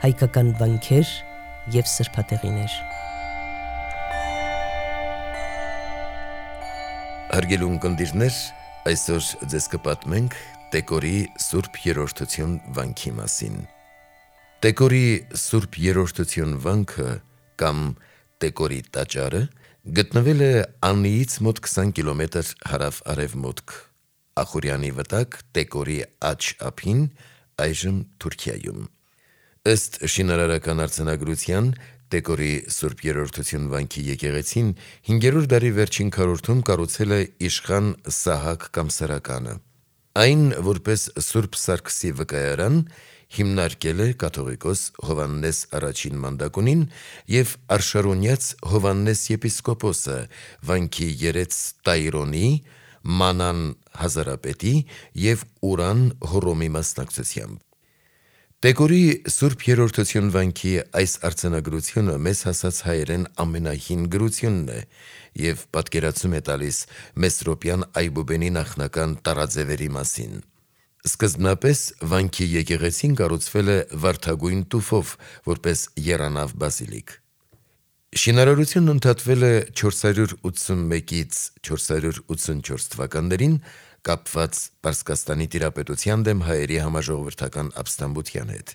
հայկական վանքեր և սրբատեղիներ։ Հարգելի ունկնդիրներ, այսօր ձեզ կպատմենք Տեկորի Սուրբ Երրորդություն վանքի մասին։ Տեկորի Սուրբ Երրորդություն վանքը կամ Տեկորի տաճարը գտնվել է Աննիից մոտ 20 կիլոմետր հարավ-արևմուտք, Ախուրյանի վտակ Տեկորի աջ ափին, այժմ Թուրքիայում։ Ըստ շինարարական արձանագրության, Տեկորի Սուրբ Երրորդություն վանքի եկեղեցին 5-րդ դարի վերջին քառորդում կառուցել է իշխան Սահակ կամ Սարականը։ Այն, որպես Սուրբ Սարգսի վկայարան, հիմնարկել է կաթողիկոս Հովհաննես առաջին մանդակունին և Արշարունյաց Հովհաննես եպիսկոպոսը վանքի երեց Տայրոնի, Մանան Հազարապետի և Ուրան Հոռոմի մասնակցությամբ։ Տեկորի Սուրբ Երրորդություն վանքի այս արձանագրությունը մեզ հասած հայերեն ամենահին գրությունն է և պատկերացում է տալիս Մեսրոպյան Այբուբենի նախնական տառաձևերի մասին։ Սկզբնապես վանքի եկեղեցին կառուցվել է վարդագույն տուֆով, որպես եռանավ բազիլիկ։ Շինարարությունն ընդհատվել է 481-ից 484 թվականներին, կապված Պարսկաստանի տիրապետության դեմ հայերի համաժողովրդական ապստամբության հետ։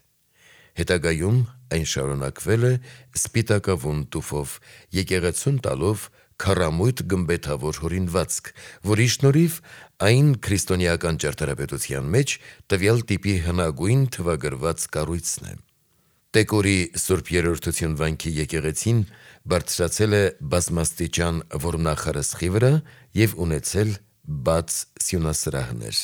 Հետագայում այն շարունակվել է սպիտակավուն տուֆով, եկեղեցուն տալով քառամույթ գմբեթավոր հորինվածք, որի շնորհիվ այն քրիստոնեական ճարտարապետության մեջ տվյալ տիպի հնագույն թվագրված կառույցն է։ Տեկորի Սուրբ Երրորդություն վանքի եկեղեցին բարձրացել է բազմաստիճան որմնախարսխի վրա և ունեցել բաց սյունասրահներ։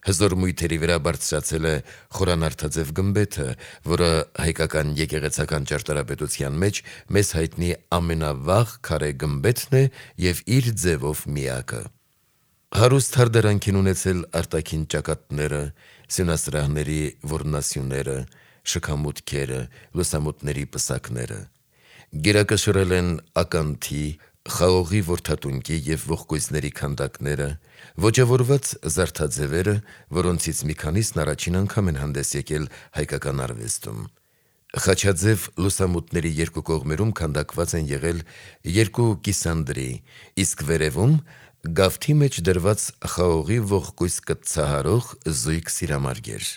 Հզոր մույթերի վրա բարձրացել է խորանարդաձև գմբեթը, որը հայկական եկեղեցական ճարտարապետության մեջ մեզ հայտնի ամենավաղ քարե գմբեթն է և իր ձևով միակը։ Հարուստ հարդարանք են ունեցել արտաքին ճակատները, սյունասրահների որմնասյուները, շքամուտքերը, լուսամուտների պսակները։ Գերակշռել են ականթի, խաղողի որդատունկի և ողկույզների քանդակները, ոճավորված զարդաձևերը, որոնցից մի քանիսն առաջին անգամ են հանդես եկել հայկական արվեստում։ Խաչաձև լուսամուտների երկու կողմերում քանդակված են եղել երկու կիսանդրի, իսկ վերևում գավթի մեջ դրված խաղողի ողկույզ կտցահարող զույգ սիրամարգեր։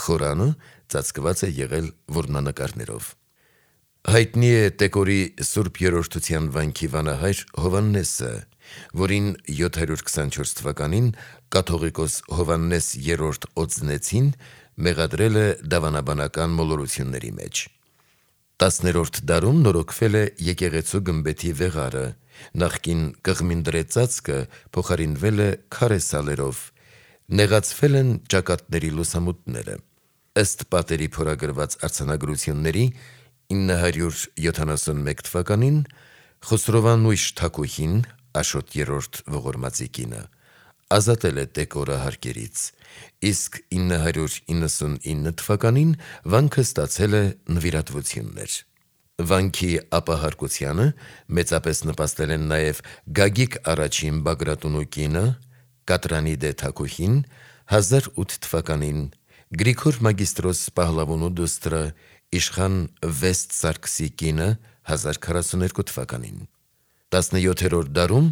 Խորանը ծածկված է եղել որմնանկարներով։ Հայտնի է Տեկորի Սուրբ Երրորդության վանքի վանահայր Հովհաննեսը, որին 724 թվականին կաթողիկոս Հովհաննես III Օձնեցին մեղադրել է դավանաբանական մոլորությունների մեջ։ 10-րդ դարում նորոգվել է եկեղեցու գմբեթի վեղարը, նախկին կղմինդրե ծածկը փոխարինվել է քարե սալերով, նեղացվել են ճակատների լուսամուտները։ Ըստ պատերի փորագրված արձանագրությունների 971 թվականին Խոսրովանույշ Թագուհին, Աշոտ III ողորմածի կինը, ազատել է Տեկորը հարկերից, իսկ 999 թվականին վանքը ստացել է նվիրատվություններ։ Վանքի ապահարկությանը մեծապես նպաստել են նաև Գագիկ I Բագրատունու կինը, Կատրանիդե Թագուհին, 1008 թվականին, Գրիգոր Մագիստրոս Պահլավոնու դուստրը, իշխան Վեստ Սարգսի կինը, 1042 թվականին։ 17-րդ դարում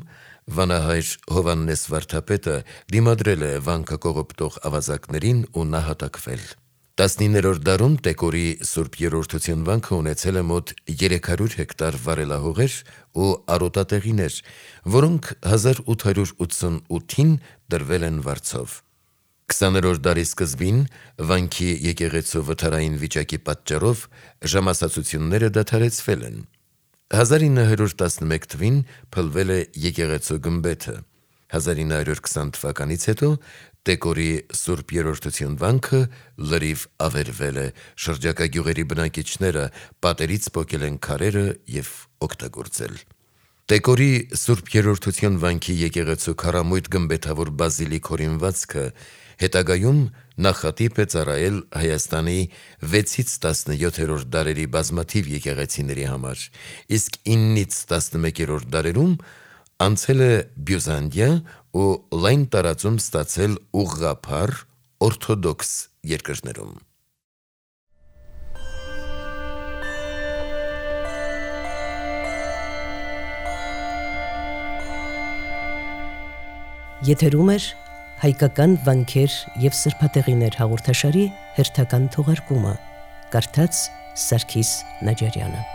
վանահայր Հովհաննես վարդապետը դիմադրել է վանքը կողոպտող ավազակներին ու նահատակվել։ 19-րդ դարում Տեկորի Սուրբ Երրորդություն վանքը ունեցել է մոտ 300 հեկտար վարելահողեր ու արոտատեղիներ, որոնք 1888-ին դրվել են վարձով։ 20-րդ դարի սկզբին վանքի եկեղեցու վթարային վիճակի պատճառով ժամասացությունները դադարեցվել են։ 1911 թվին փլվել է եկեղեցու գմբեթը։ 1920 թվականից հետո Տեկորի Սուրբ Երրորդություն վանքը լրիվ ավերվել է, շրջակա գյուղերի բնակիչները պատերից պոկել են քարերը և օգտագործել։ Տեկորի Սուրբ Երրորդություն վանքի եկեղեցու քառամույթ գմբեթավոր բազիլիկ հորինվածքը հետագայում նախատիպ է ծառայել Հայաստանի 6-ից 17-րդ դարերի բազմաթիվ եկեղեցիների համար, իսկ 9-ից 11-րդ դարերում անցել է Բյուզանդիա ու լայն տարածում ստացել ուղղափառ օրթոդոքս երկրներում։ Եթերում էր հայկական վանքեր եւ սրբատեղիներ հաղորդաշարի հերթական թողարկումը, կարդաց Սարգիս Նաջարյանը։